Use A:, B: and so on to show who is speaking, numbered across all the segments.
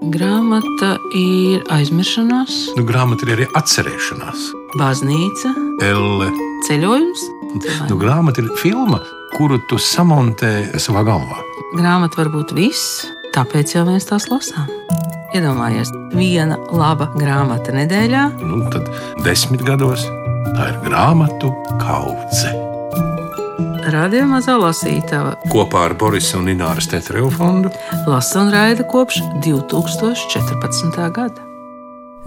A: Grāmata ir aizmiršanās,
B: Grāmata ir arī atcerēšanās.
A: baznīca,
B: Elle.
A: ceļojums.
B: Grāmata ir filma, kuru tu samontē savā galvā.
A: Grāmata var būt viss, tāpēc jau mēs tās lasām. Iedomājies, viena laba grāmata nedēļā.
B: Tad 10 gados tā ir grāmatu kaudze.
A: Radio Mazā lasītava
B: Kopā ar Borisa un Ināras Tetereva fondu
A: lasa un raida kopš 2014. gada.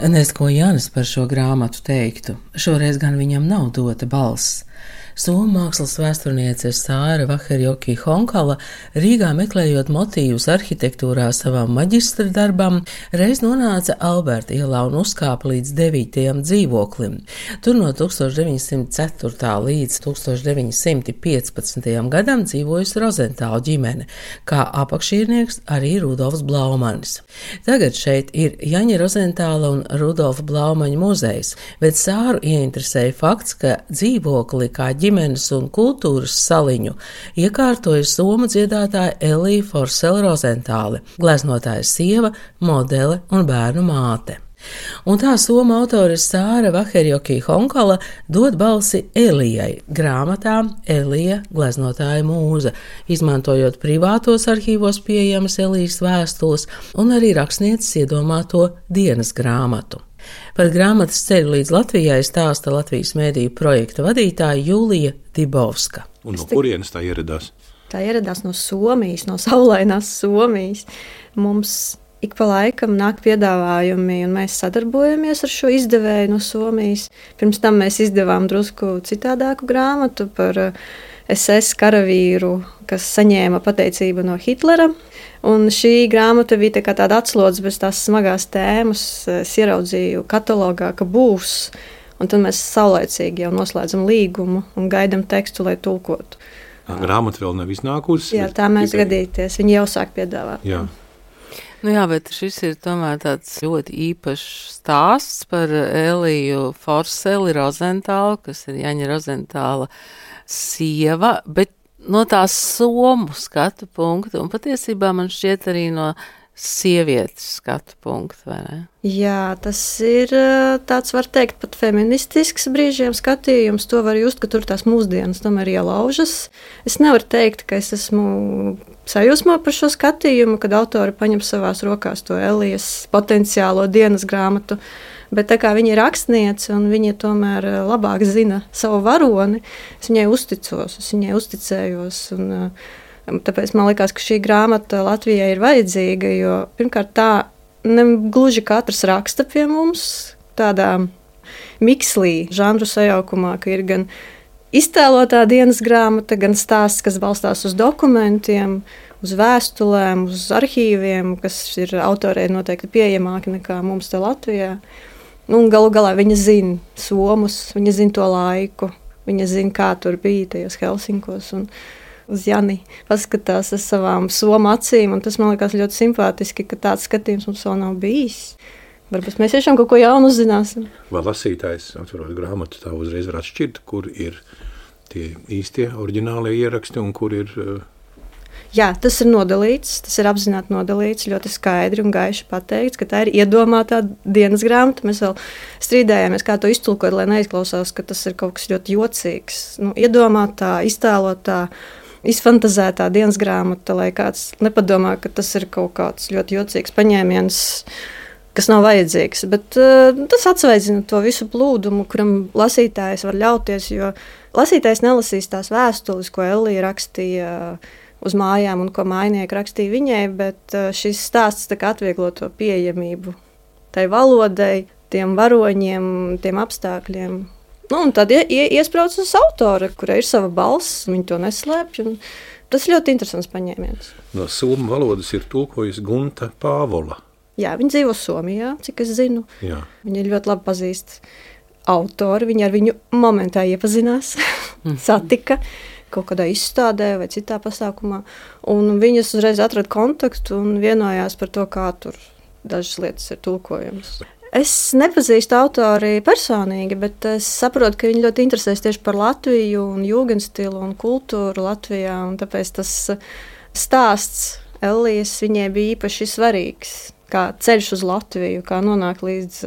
A: Nezinu, ko Jānis par šo grāmatu teiktu. Šoreiz gan viņam nav dota balss. Somu mākslas vēsturniece Sāra Vaherjoki Honkala Rīgā meklējot motīvus arhitektūrā savam maģistra darbam, reiz nonāca Alberta ielā un uzkāpa līdz 9. dzīvoklim. Tur no 1904. līdz 1915. gadam dzīvojusi Rozentāla ģimene, kā apakšīrnieks arī Rudolfs Blaumanis. Tagad šeit ir Jaņa Rozentāla un Rudolfa Blaumaņa muzejs, bet Sāru ieinteresēja fakts, ka dzīvokli kā ģimenes un kultūras saliņu iekārtoja somu dziedātāja Elija Forsela Rozentāle, gleznotāja sieva, modele un bērnu māte. Un tā somu autore Sāra Vaherjoki Honkala dod balsi Elijai grāmatā Elija gleznotāja mūza, izmantojot privātos arhīvos pieejamas Elijas vēstules un arī rakstnieces iedomāto dienas grāmatu. Par grāmatas ceļu līdz Latvijai stāsta Latvijas mēdīju projekta vadītāja Jūlija Dibovska.
B: Un no kurienes tā ieradās?
C: Tā ieradās no Somijas, no saulainās Somijas. Mums ik pa laikam nāk piedāvājumi, un mēs sadarbojamies ar šo izdevēju no Somijas. Pirms tam mēs izdevām drusku citādāku grāmatu par SS karavīru, kas saņēma pateicību no Hitlera. Un šī grāmata bija tāda atslodze bez tās smagās tēmas. Es ieraudzīju katalogā, ka būs, un tad mēs saulaicīgi jau noslēdzam līgumu un gaidam tekstu, lai tulkotu.
B: Grāmata vēl nav iznākusi?
C: Jā, tā mēs gadīties. Viņi jau sāk piedāvāt.
B: Jā.
A: Jā, bet šis ir tomēr tāds ļoti īpašs stāsts par Eliju Forseli Rozentālu, kas ir Jaņa Rozentāla sieva, bet no tās somu skatu punktu, un patiesībā man šķiet arī no sievietes skatu punktu, vai ne?
C: Jā, tas ir tāds, var teikt, pat feministisks brīžiem skatījums. To var just, ka tur tās mūsdienas tomēr ielaužas. Es nevaru teikt, ka es esmu sajūsmā par šo skatījumu, kad autori paņem savās rokās to Elijas potenciālo dienas grāmatu. Bet tā kā viņa ir rakstniece un viņa tomēr labāk zina savu varoni, es viņai uzticos, es viņai uzticējos. Tāpēc man liekas, ka šī grāmata Latvijai ir vajadzīga, jo pirmkārt tā negluži katrs raksta pie mums tādā mikslī, žanru sajaukumā, ka ir gan iztēlotā dienas grāmata, gan stāsts, kas balstās uz dokumentiem, uz vēstulēm, uz arhīviem, kas ir autorei noteikti pieejamāki nekā mums te Latvijā. Un galu galā viņa zina somus, viņa zina to laiku, viņa zina, kā tur bija tajos Helsinkos. Un uz Jani paskatās ar savām somu acīm, un tas man liekas ļoti simpātiski, ka tāds skatījums mums vēl nav bijis. Varbūt mēs tiešām kaut ko jaunu uzzināsim.
B: Vai lasītājs, atverot grāmatu, tā uzreiz var atšķirt, kur ir tie īstie, oriģinālie ieraksti un kur ir...
C: Jā, tas ir nodalīts, tas ir apzināti nodalīts, ļoti skaidri un gaiši pateikts, ka tā ir iedomātā dienas grāmata. Mēs vēl strīdējāmies, kā to iztulkot, lai neizklausās, ka tas ir kaut kas ļoti jocīgs. Iedomātā, iztēlotā, izfantazētā dienas grāmata, lai kāds nepadomā, ka tas ir kaut kāds ļoti jocīgs paņēmiens, kas nav vajadzīgs. Bet tas atsveidzina to visu plūdumu, kuram lasītājs var ļauties, jo lasītājs nelasīs tās vēstules, ko Elija rakstīja uz mājām un ko mājnieki rakstīja viņai, bet šis stāsts tā kā atvieglo to pieejamību tai valodai, tiem varoņiem, tiem apstākļiem. Un tad iesprauc uz autora, kurai ir sava balss, viņa to neslēpj. Tas ir ļoti interesants paņēmiens.
B: No somu valodas ir tulkojusi Gunta Pāvola.
C: Jā, viņa dzīvo Somijā, cik es zinu.
B: Jā.
C: Viņa ļoti labi pazīst autoru, viņa ar viņu momentā iepazinās, satika kaut kādā izstādē vai citā pasākumā. Un viņas uzreiz atrada kontaktu un vienojās par to, kā tur dažas lietas ir tulkojamas. Es nepazīstu autori personīgi, bet es saprotu, ka viņi ļoti interesēs tieši par Latviju un jūgenstilu un kultūru Latvijā, un tāpēc tas stāsts Elijas viņai bija īpaši svarīgs. kā ceļš uz Latviju, kā nonākt līdz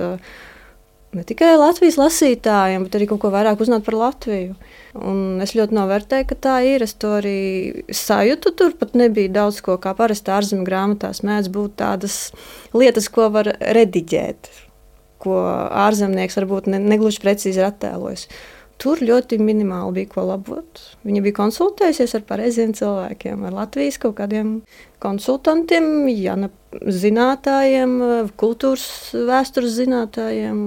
C: ne tikai Latvijas lasītājiem, bet arī kaut ko vairāk uzzināt par Latviju. Un es ļoti novērtēju, ka tā ir. Es to arī sajūtu. Tur pat nebija daudz ko, kā parasti ārzemju grāmatās mēdz būt tādas lietas, ko var rediģēt, ko ārzemnieks varbūt negluži precīzi ir attēlojis. Tur ļoti minimāli bija ko labot. Viņa bija konsultējusies ar pareiziem cilvēkiem, ar Latvijas kaut kādiem konsultantiem, zinātājiem, kultūras vēstures zinātājiem.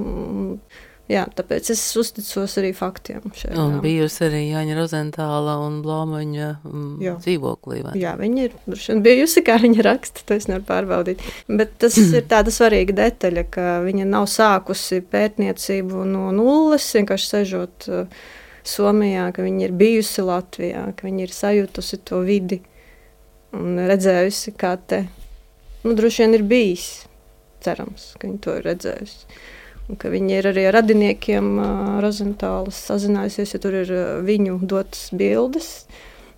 C: Jā, tāpēc es uzticos arī faktiem.
A: Un bijusi arī Jāņa Rozentāla un Blaumaņa dzīvoklī, vai?
C: Jā, viņa ir bijusi, kā viņa raksta, to es nevaru pārbaudīt. Bet tas ir tāda svarīga detaļa, ka viņa nav sākusi pētniecību no nulles, vienkārši sežot Somijā, ka viņa ir bijusi Latvijā, ka viņa ir sajutusi to vidi un redzējusi, kā te, droši vien ir bijis, cerams, ka viņa to ir redzējusi. Un ka viņi ir arī ar radiniekiem Rozentālas sazinājusies, ja tur ir viņu dotas bildes.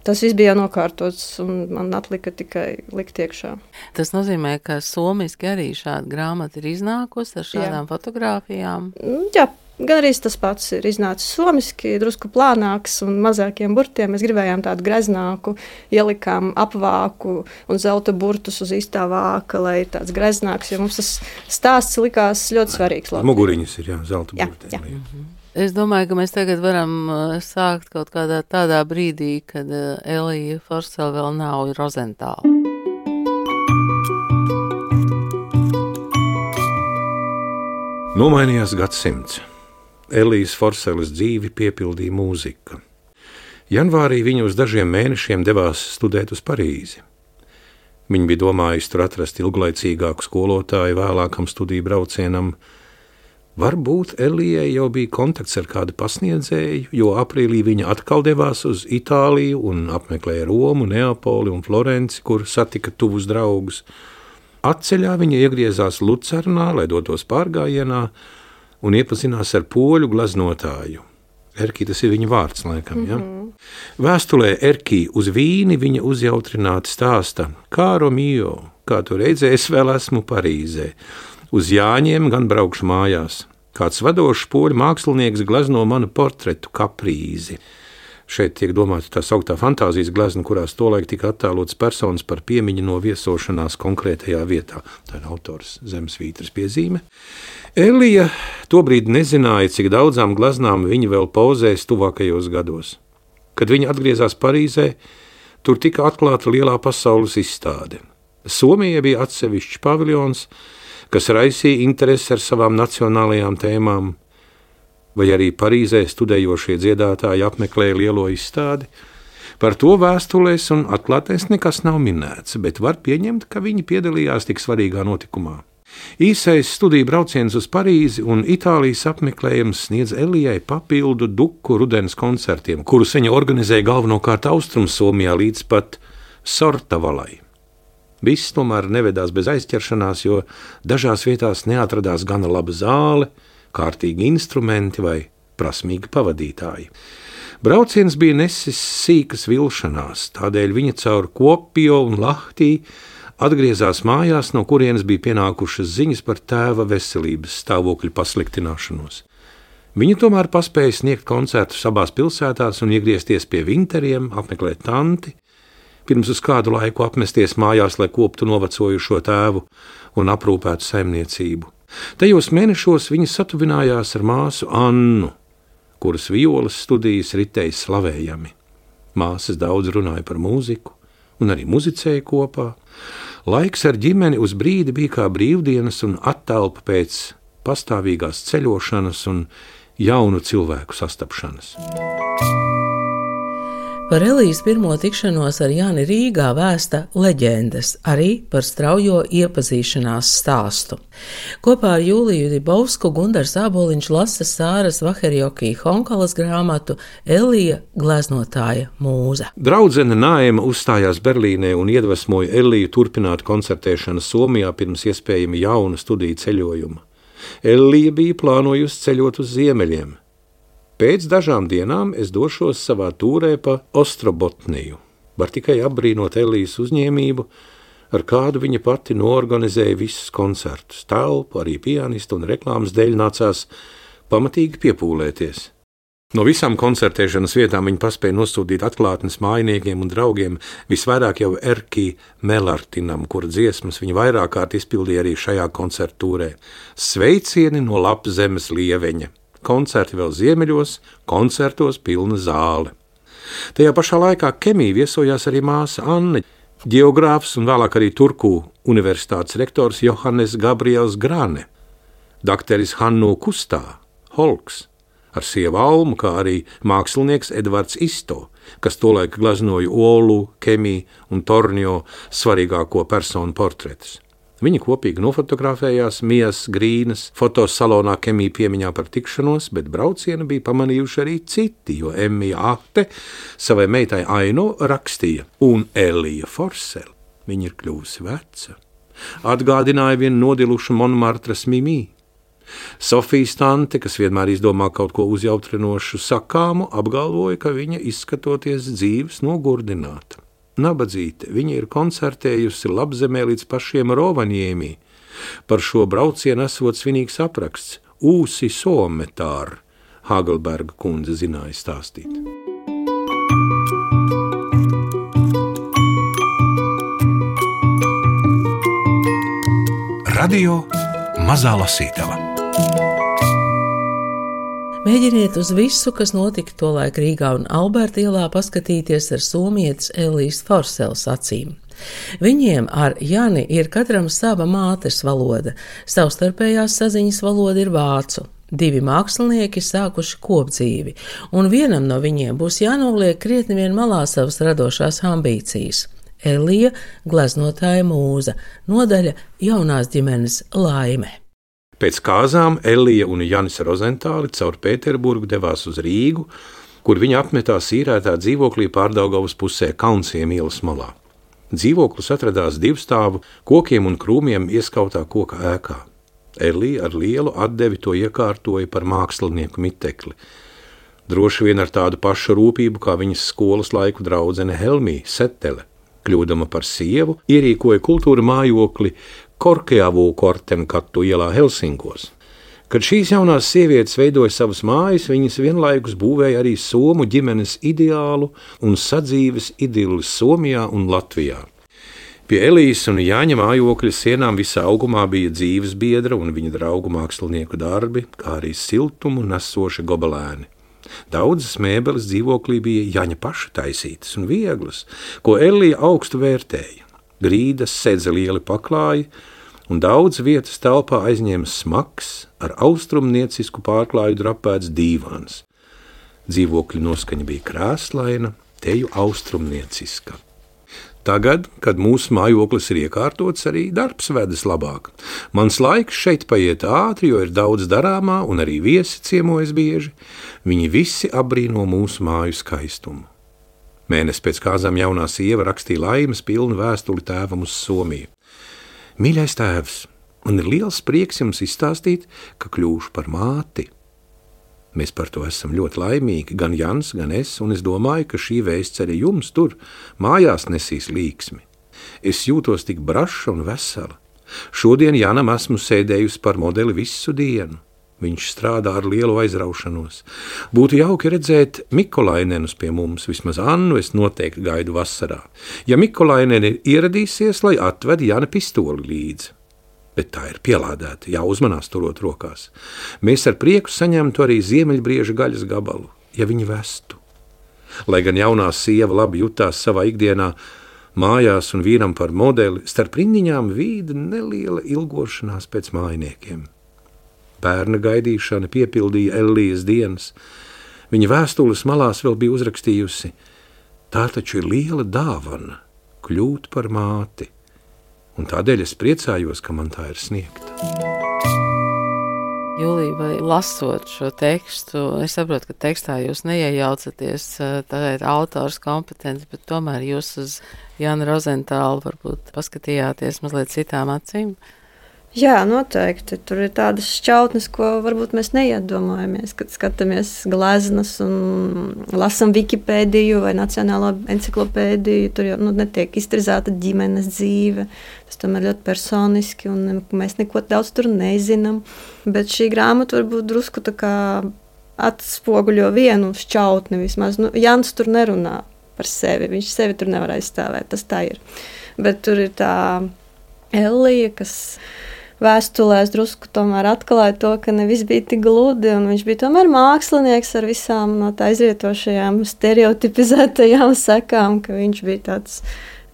C: Tas viss bija nokārtots, un man atlika tikai likt iekšā.
A: Tas nozīmē, ka somiski arī šāda grāmata ir iznākusi ar šādām fotogrāfijām?
C: Jā, gan arī tas pats ir iznācis somiski, drusku plānāks un mazākiem burtiem. Mēs gribējām tādu greznāku, ielikām apvāku un zelta burtus uz īstā vāka, lai ir tāds greznāks, jo mums tas stāsts likās ļoti svarīgs.
B: Muguriņas ir, zelta burti.
C: Jā.
A: Es domāju, ka mēs tagad varam sākt kaut kādā tādā brīdī, kad Elija Forsele vēl nav Rozentāla.
B: Nomainījās gadsimts. Elijas Forseles dzīvi piepildīja mūzika. Janvārī viņa uz dažiem mēnešiem devās studēt uz Parīzi. Viņa bija domājusi tur atrast ilglaicīgāku skolotāju vēlākam studiju braucienam. Varbūt Elijai jau bija kontakts ar kādu pasniedzēju, jo aprīlī viņa atkal devās uz Itāliju un apmeklēja Romu, Neapoli un Florenci, kur satika tuvus draugus. Atceļā viņa iegriezās Lucernā, lai dotos pārgājienā, un iepazinās ar poļu gleznotāju. Erkī, tas ir viņa vārds, laikam, ja? Vēstulē Erkī uz Vīni viņa uzjautrināti stāsta: Kāro mio, kā tu redzēji, es vēl esmu Parīzē. Uz Jāņiem gan braukšu mājās. Kāds vadošs poļu mākslinieks glezno manu portretu Kaprīzi. Šeit tiek domāta tā sauktā fantāzijas glezna, kurās tolaik tika attēlots personas par piemiņu no viesošanās konkrētajā vietā. Tā ir autors Zemesvītras piezīme. Elija tobrīd nezināja, cik daudzām gleznām viņa vēl pauzēs tuvākajos gados. Kad viņa atgriezās Parīzē, tur tika atklāta lielā pasaules izstāde. Somijai bija atsevišķs paviljons, kas raisīja interesi ar savām nacionālajām tēmām, vai arī Parīzē studējošie dziedātāji apmeklēja lielo izstādi. Par to vēstulēs un atklātēs nekas nav minēts, bet var pieņemt, ka viņi piedalījās tik svarīgā notikumā. Īsais studiju brauciens uz Parīzi un Itālijas apmeklējums sniedz Elijai papildu duku rudens koncertiem, kurus viņa organizēja galvenokārt Austrumsomijā līdz pat Sortavalai. Viss tomēr nevedās bez aizķeršanās, jo dažās vietās neatradās gana laba zāle, kārtīgi instrumenti vai prasmīgi pavadītāji. Brauciens bija nesis sīkas vilšanās, tādēļ viņa caur Kuopio un Lahtī atgriezās mājās, no kurienes bija pienākušas ziņas par tēva veselības stāvokļa pasliktināšanos. Viņa tomēr paspēja sniegt koncertus abās pilsētās un iegriezties pie Vinteriem, apmeklēt tanti, pirms uz kādu laiku apmesties mājās, lai koptu novecojušo tēvu un aprūpētu saimniecību. Tajos mēnešos viņa satuvinājās ar māsu Annu, kuras violas studijas ritēja slavējami. Māsas daudz runāja par mūziku un arī muzicēja kopā. Laiks ar ģimeni uz brīdi bija kā brīvdienas un attelpa pēc pastāvīgās ceļošanas un jaunu cilvēku sastapšanas.
A: Par Elijas pirmo tikšanos ar Jāni Rīgā vēsta leģendas, arī par straujo iepazīšanās stāstu. Kopā ar Jūliju Dibovsku Gundars Āboliņš lasa Sāras Vaherjokī Honkalas grāmatu Elija gleznotāja mūza.
B: Draudzene Naema uzstājās Berlīnē un iedvesmoja Eliju turpināt koncertēšanu Somijā pirms iespējami jauna studiju ceļojuma. Elija bija plānojusi ceļot uz ziemeļiem. Pēc dažām dienām es došos savā tūrē pa Ostrobotniju. Var tikai apbrīnot Elijas uzņēmību, ar kādu viņa pati noorganizēja visus koncertus. Telpu, arī pianistu un reklāmas dēļ nācās pamatīgi piepūlēties. No visām koncertēšanas vietām viņa paspēja nosūtīt atklātnes mājiniekiem un draugiem, visvairāk jau Erkī Melartinam, kura dziesmas viņa vairāk kārt izpildīja arī šajā koncertūrē. Sveicieni no Lapzemes lieveņa. Koncerti vēl ziemeļos, koncertos pilna zāle. Tajā pašā laikā Kemī viesojās arī māsa Anne, ģeogrāfs un vēlāk arī Turku universitātes rektors Johannes Gabriels Grane, dakteris Hannu Kustā, Holks, ar sievu Almu, kā arī mākslinieks Edvards Isto, kas tolaik gleznoja Olu, Kemī un Tornio svarīgāko personu portretus. Viņi kopīgi nofotografējās Mijas Grīnas fotosalonā Kemī piemiņā par tikšanos, bet braucienu bija pamanījuši arī citi, jo Emmija Ahte savai meitai Aino rakstīja, un Elija Forsele, viņa ir kļuvusi veca, atgādināja vienu nodilušu Monmartras Mimī. Sofijas tante, kas vienmēr izdomā kaut ko uzjautrinošu sakāmu, apgalvoja, ka viņa izskatoties dzīves nogurdināta. Nabadzīte, viņa ir koncertējusi Lapzemē līdz pašiem Rovanjēmī. Par šo braucienu esot svinīgs apraksts Ūsi Sometār, Hagelberga kundze zināja stāstīt.
A: Radio Mazā Lasītava. Mēģiniet uz visu, kas notika tolaik Rīgā un Alberta ielā, paskatīties ar somietes Elijas Forseles acīm. Viņiem ar Jani ir katram sava mātes valoda, savstarpējās saziņas valoda ir vācu. Divi mākslinieki sākuši kopdzīvi, un vienam no viņiem būs jānoliek krietni vien malā savas radošās ambīcijas. Elija, gleznotāja mūza, nodaļa jaunās ģimenes laime.
B: Pēc kāzām Elija un Janis Rozentāli caur Pēterburgu devās uz Rīgu, kur viņa apmetās īrētā dzīvoklī Pārdaugavas pusē Kaunsiem ielas malā. Dzīvoklis atradās divstāvu kokiem un krūmiem ieskautā koka ēkā. Elija ar lielu atdevi to iekārtoja par mākslinieku mitekli. Droši vien ar tādu pašu rūpību kā viņas skolas laiku draudzene Helmija Setele. Kļūdama par sievu, ierīkoja kultūra mājokli Korkeavu Kortenkatu ielā Helsinkos. Kad šīs jaunās sievietes veidoja savas mājas, viņas vienlaikus būvēja arī somu ģimenes ideālu un sadzīves idilli Somijā un Latvijā. Pie Elijas un Jāņa mājokļa sienām visā augumā bija dzīves biedra un viņa draugu mākslinieku darbi, kā arī siltumu nesoši gobelēni. Daudzas mēbeles dzīvoklī bija Jaņa paša taisītas un vieglas, ko Elija augstu vērtēja. Grīdas sedza lieli paklāji, un daudz vietas telpā aizņēma smags, ar austrumniecisku pārklāju drapēts dīvāns. Dzīvokļa noskaņa bija krēslaina, teju austrumnieciska. Tagad, kad mūsu mājoklis ir iekārtots, arī darbs vedas labāk. Mans laiks šeit paiet ātri, jo ir daudz darāmā, un arī viesi ciemojas bieži. Viņi visi apbrīno mūsu māju skaistumu. Mēnesi pēc kāzām jaunā sieva rakstīja laimes pilnu vēstuli tēvam uz Somiju. Mīļais tēvs, man ir liels prieks jums izstāstīt, ka kļūšu par māti. Mēs par to esam ļoti laimīgi, gan Jans, gan es, un es domāju, ka šī vēsts arī jums tur mājās nesīs līksmi. Es jūtos tik braša un vesela. Šodien Janam esmu sēdējusi par modeli visu dienu. Viņš strādā ar lielu aizraušanos. Būtu jauki redzēt Mikolainenus pie mums, vismaz Annu es noteikti gaidu vasarā. Ja Mikolaineni ieradīsies, lai atved Jana pistoli līdzi. Bet tā ir pielādēta, jāuzmanās turot rokās. Mēs ar prieku saņemtu arī ziemeļbrieža gaļas gabalu, ja viņi vestu. Lai gan jaunā sieva labi jutās savā ikdienā, mājās un vīram par modeli, starp rindiņām vīda neliela ilgošanās pēc mājiniekiem. Bērna gaidīšana piepildīja Elijas dienas. Viņa vēstules malās vēl bija uzrakstījusi: tā taču ir liela dāvana kļūt par māti, un tādēļ es priecājos, ka man tā ir sniegta.
D: Julija, vai lasot šo tekstu, es saprotu, ka tekstā jūs neiejaucaties, tā ir autors kompetence, bet tomēr jūs uz Jana Rozentālu varbūt paskatījāties mazliet citām acīm?
C: Jā, noteikti. Tur ir tādas šķautnes, ko varbūt mēs neiedomājamies, kad skatāmies gleznas un lasām Wikipēdiju vai Nacionālo enciklopēdiju. Tur jau netiek iztirzāta ģimenes dzīve. Tas tomēr ļoti personiski, un mēs neko daudz tur nezinām. Bet šī grāmata varbūt drusku tā kā atspoguļo vienu šķautni vismaz. Jans tur nerunā par sevi. Viņš sevi tur nevar aizstāvēt. Tas tā ir. Bet tur ir tā Ellija, kas vēstulēs drusku tomēr atklāja to, ka ne viss bija tik gludi, un viņš bija tomēr mākslinieks ar visām no tā izrietošajām stereotipizētajām sekām, ka viņš bija tāds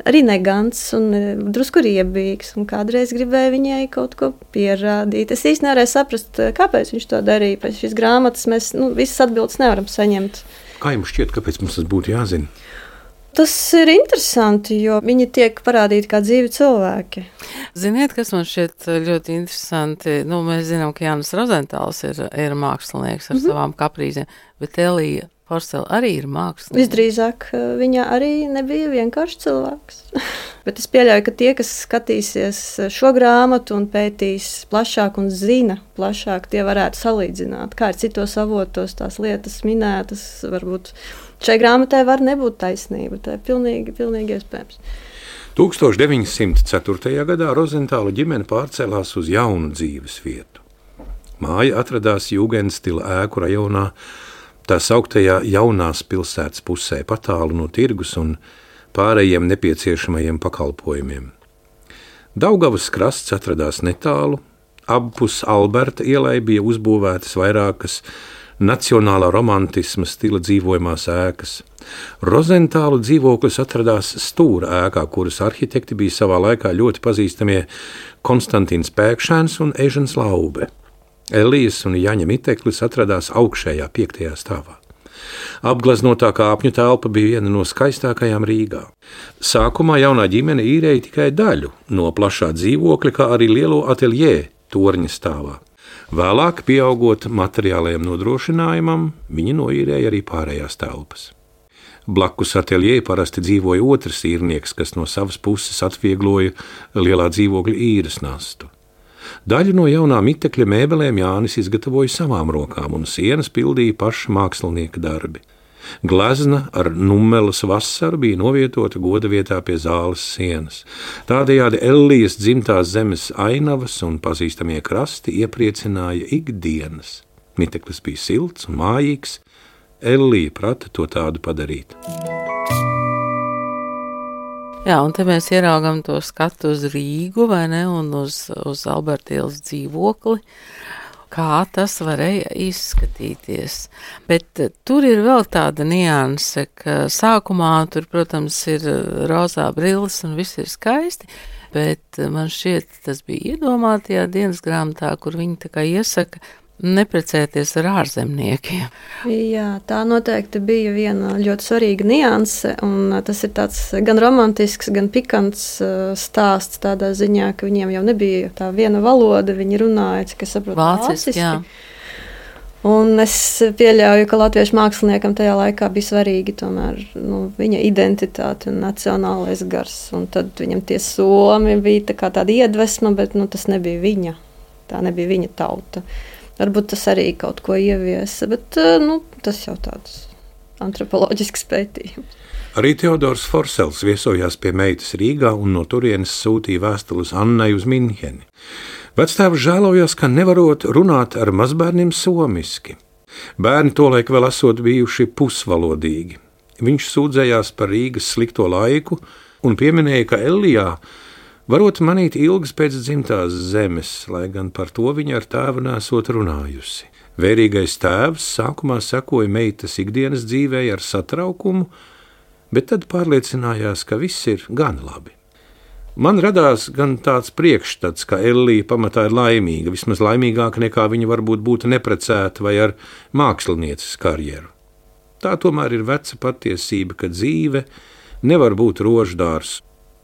C: arī negants un drusku riebīgs, un kādreiz gribēja viņai kaut ko pierādīt. Es īsti nevarēju saprast, kāpēc viņš to darīja. Pēc šīs grāmatas mēs visas atbildes nevaram saņemt.
B: Kā jums šķiet, kāpēc mums tas būtu jāzina?
C: Tas ir interesanti, jo viņi tiek parādīti kā dzīvi cilvēki.
D: Ziniet, kas man šķiet ļoti interesanti? Mēs zinām, ka Jānis Rozentāls ir mākslinieks ar savām kaprīzēm, bet Elija Forsele arī ir mākslinieks.
C: Visdrīzāk viņa arī nebija vienkārši cilvēks. Bet es pieļauju, ka tie, kas skatīsies šo grāmatu un pētīs plašāk un zina plašāk, tie varētu salīdzināt, kā ir citos avotos tās lietas minētas, varbūt šai grāmatai var nebūt taisnība. Tā ir pilnīgi iespējams.
B: 1904. gadā Rozentāla ģimene pārcēlās uz jaunu dzīves vietu. Māja atradās Jūgendstila ēku rajonā, tā sauktajā jaunās pilsētas pusē, patālu no tirgus un pārējiem nepieciešamajiem pakalpojumiem. Daugavas krasts atradās netālu, abpus Alberta ielai bija uzbūvētas vairākas nacionālā romantisma stila dzīvojamās ēkas. Rozentālu dzīvoklis atradās stūra ēkā, kuras arhitekti bija savā laikā ļoti pazīstamie Konstantīns Pēkšēns un Ežens Laube. Elijas un Jaņa miteklis atradās augšējā 5. stāvā. Apgleznotā kāpņu telpa bija viena no skaistākajām Rīgā. Sākumā jaunā ģimene īrēja tikai daļu no plašā dzīvokļa, kā arī lielo ateljē torņa stāvā. Vēlāk, pieaugot materiālajiem nodrošinājumam, viņi noīrēja arī pārējās telpas. Blakus ateljē parasti dzīvoja otrs īrnieks, kas no savas puses atviegloja lielā dzīvokļa īres nastu. Daļu no jaunā mitekļa mēbelēm Jānis izgatavoja savām rokām, un sienas pildīja paša mākslinieka darbi. Glezna ar Nummelas vasaru bija novietota goda vietā pie zāles sienas. Tādējādi Ellijas dzimtās zemes ainavas un pazīstamie krasti iepriecināja ikdienas. Miteklis bija silts un mājīgs, Ellija prata to tādu padarīt.
D: Jā, un te mēs ieraugam to skatu uz Rīgu, vai ne, un uz Alberta ielas dzīvokli, kā tas varēja izskatīties. Bet tur ir vēl tāda nianse, ka sākumā tur, protams, ir rozā brilles un viss ir skaisti, bet man šķiet, tas bija iedomātajā dienas grāmatā, kur viņi tā kā iesaka neprecēties ar ārzemniekiem.
C: Jā, tā noteikti bija viena ļoti svarīga nianse, un tas ir tāds gan romantisks, gan pikants stāsts tādā ziņā, ka viņiem jau nebija tā viena valoda, viņi runāja, cik es saprotu, vāciski. Jā. Un es pieļauju, ka latviešu māksliniekam tajā laikā bija svarīgi tomēr viņa identitāte un nacionālais gars, un tad viņam tie somi bija tā kā tāda iedvesma, bet tas nebija viņa, tā nebija viņa tauta. Varbūt tas arī kaut ko ieviesa, bet tas jau tāds antropoloģisks pētījums.
B: Arī Teodors Forsels viesojās pie meitas Rīgā un no turienes sūtīja vēstules Annai uz Minheni. Vectēvs žēlojās, ka nevarot runāt ar mazbērniem somiski. Bērni tolaik vēl esot bijuši pusvalodīgi. Viņš sūdzējās par Rīgas slikto laiku un pieminēja, ka Ellijā varot manīt ilgas pēc dzimtās zemes, lai gan par to viņa ar tēvu nesot runājusi. Vērīgais tēvs sākumā sekoja meitas ikdienas dzīvē ar satraukumu, bet tad pārliecinājās, ka viss ir gan labi. Man radās gan tāds priekšstats, ka Ellija pamatā ir laimīga, vismaz laimīgāka nekā viņa varbūt būtu neprecēta vai ar mākslinieces karjeru. Tā tomēr ir veca patiesība, ka dzīve nevar būt roždārs,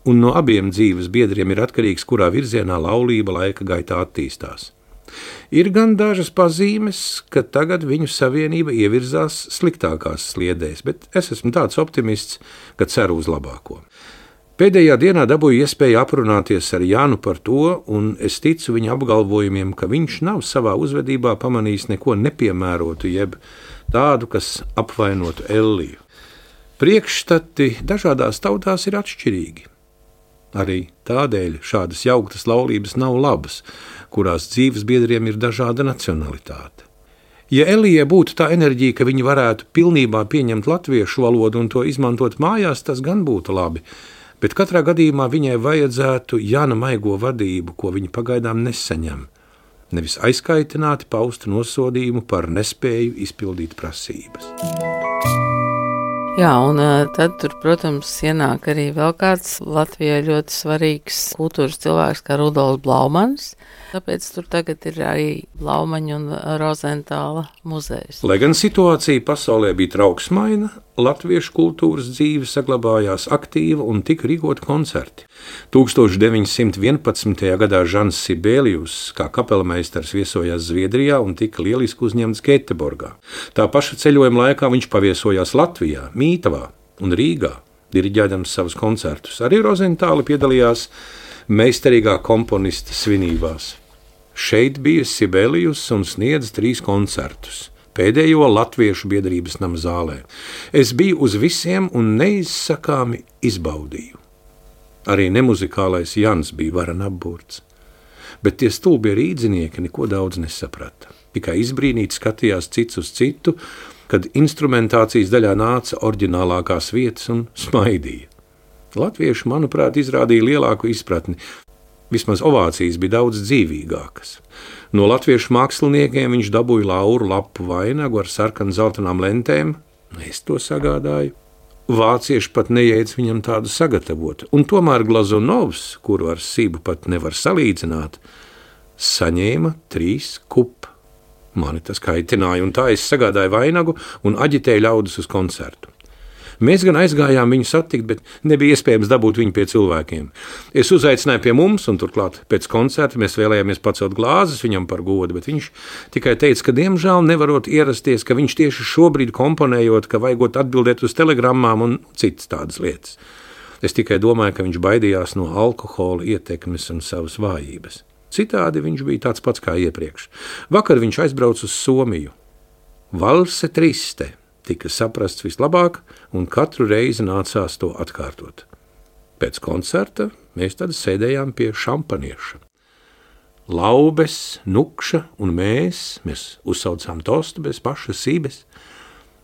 B: un no abiem dzīves biedriem ir atkarīgs, kurā virzienā laulība laika gaitā attīstās. Ir gan dažas pazīmes, ka tagad viņu savienība ievirzās sliktākās sliedēs, bet es esmu tāds optimists, ka ceru uz labāko. Pēdējā dienā dabūju iespēju aprunāties ar Jānu par to, un es ticu viņa apgalvojumiem, ka viņš nav savā uzvedībā pamanījis neko nepiemērotu, jeb tādu, kas apvainotu Elliju. Priekšstati dažādās tautās ir atšķirīgi. Arī tādēļ šādas jauktas laulības nav labas, kurās dzīves biedriem ir dažāda nacionalitāte. Ja Elijai būtu tā enerģija, ka viņi varētu pilnībā pieņemt latviešu valodu un to izmantot mājās, tas gan būtu labi, bet katrā gadījumā viņai vajadzētu Jāna maigo vadību, ko viņa pagaidām nesaņem, nevis aizkaitināti paust nosodījumu par nespēju izpildīt prasības.
D: Jā, un tad tur, protams, ienāk arī vēl kāds Latvijai ļoti svarīgs kultūras cilvēks kā Rudolfs Blaumans. Tāpēc tur tagad ir arī Blaumaņa un Rozentāla muzejs.
B: Lai gan situācija pasaulē bija trauksmaina, latviešu kultūras dzīve saglabājās aktīva un tika rīkoti koncerti. 1911. gadā Žans Sibelius kā kapelmeistars viesojās Zviedrijā un tika lieliski uzņemts Gēteborgā. Tā paša ceļojuma laikā viņš paviesojās Latvijā, Mītavā un Rīgā, diriģēdams savus koncertus. Arī Rozentāli piedalījās meistarīgā komponista svinībās. Šeit bija Sibelius un sniedz 3 koncertus. Pēdējo Latviešu biedrības nama zālē. Es biju uz visiem un neizsakāmi izbaudīju. Arī nemuzikālais Jans bija varen apburts. Bet tie stulbie rīdzinieki neko daudz nesaprata. Tikai izbrīnīti skatījās cits uz citu, kad instrumentācijas daļā nāca oriģinālākās vietas un smaidīja. Latvieši, manuprāt, izrādīja lielāku izpratni. Vismaz ovācijas bija daudz dzīvīgākas. No latviešu māksliniekiem viņš dabūja lauru lapu vainagu ar sarkan-zeltainām lentēm. Es to sagādāju. Vācieši pat nejēdz viņam tādu sagatavot. Un tomēr Glazunovs, kuru ar Sibu pat nevar salīdzināt, saņēma 3 kup. Mani tas kaitināja, un tā es sagādāju vainagu un aģitēju ļaudis uz koncertu. Mēs gan aizgājām viņu satikt, bet nebija iespējams dabūt viņu pie cilvēkiem. Es uzaicināju pie mums, un turklāt pēc koncerta mēs vēlējāmies pacelt glāzes viņam par godu, bet viņš tikai teica, ka diemžēl nevarot ierasties, ka viņš tieši šobrīd komponējot, ka vajagot atbildēt uz telegrammām un citas tādas lietas. Es tikai domāju, ka viņš baidījās no alkohola ietekmes un savas vājības. Citādi viņš bija tāds pats kā iepriekš. Vakar viņš aizbrauca uz Somiju. Valse triste tika saprasts vislabāk, un katru reizi nācās to atkārtot. Pēc koncerta mēs tad sēdējām pie šampanieša. Laubes, Nukša un mēs uzsaucām tostu bez paša Sibes.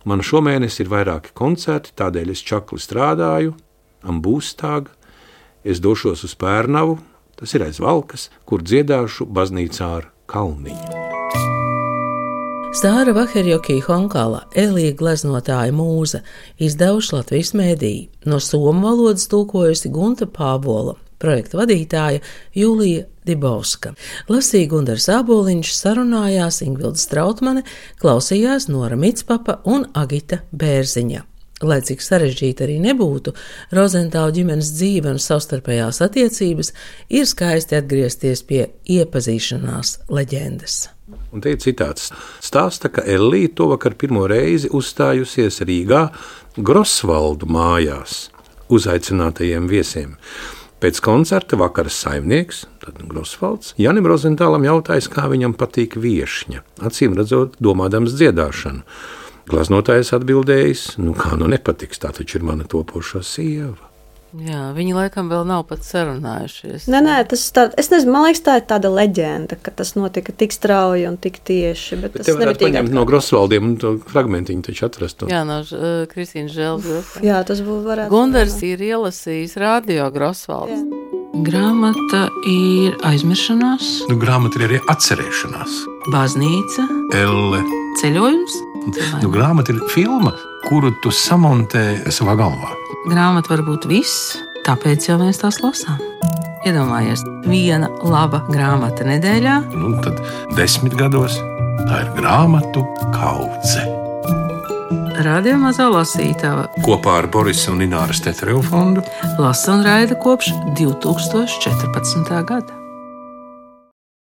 B: Man šomēnes ir vairāki koncerti, tādēļ es čakli strādāju, Ambūstāg, es došos uz Pērnavu, tas ir aiz Valkas, kur dziedāšu baznīcā ar Kalniņu.
A: Stāra Vaherjoki Honkala, Elija gleznotāja mūza, izdevuši Latvijas mēdīji, no somu valodas tulkojusi Gunta Pāvola, projekta vadītāja Jūlija Dibauska. Lasīja Gundars Āboliņš, sarunājās Ingvilda Strautmane, klausījās Nora Mitspapa un Agita Bērziņa. Lai cik sarežģīta arī nebūtu, Rozentālu ģimenes dzīve un savstarpējās attiecības ir skaisti atgriezties pie iepazīšanās leģendas.
B: Un te ir citāts. Stāsta, ka Ellija to vakar pirmo reizi uzstājusies Rīgā Grosvaldu mājās uzaicinātajiem viesiem. Pēc koncerta vakaras saimnieks, tad Grosvalds, Janim Rozentālam jautājis, kā viņam patīk viešņa, acīm redzot, domādams dziedāšanu. Glaznotājs atbildējis, kā nepatiks, tā taču ir mana topošā sieva.
D: Jā, viņi laikam vēl nav pat sarunājušies.
C: Nē, es nezinu, man liekas, tā ir tāda leģenda, ka tas notika tik strauji un tik tieši. Bet
B: te varētu paņemt no Grosvaldiem un to fragmentiņu taču atrast.
D: Jā, no Kristīnas Žēlbjorkas.
C: Jā, tas būtu varētu.
D: Gundars ir ielasījis radio Grosvalds.
C: Jā.
A: Grāmata ir aizmiršanās.
B: Grāmata ir arī atcerēšanās.
A: Baznīca.
B: Elle.
A: Ceļojums.
B: Grāmata ir filma, kuru tu samontē savā galvā.
A: Grāmata var būt viss, tāpēc jau mēs tās lasām. Iedomājies, viena laba grāmata nedēļā.
B: Tad 10 gados tā ir grāmatu kaudze.
A: Radio Mazā lasītava
B: Kopā ar Borisa un Ināras Tetereva fondu
A: lasa un raida kopš 2014. gada.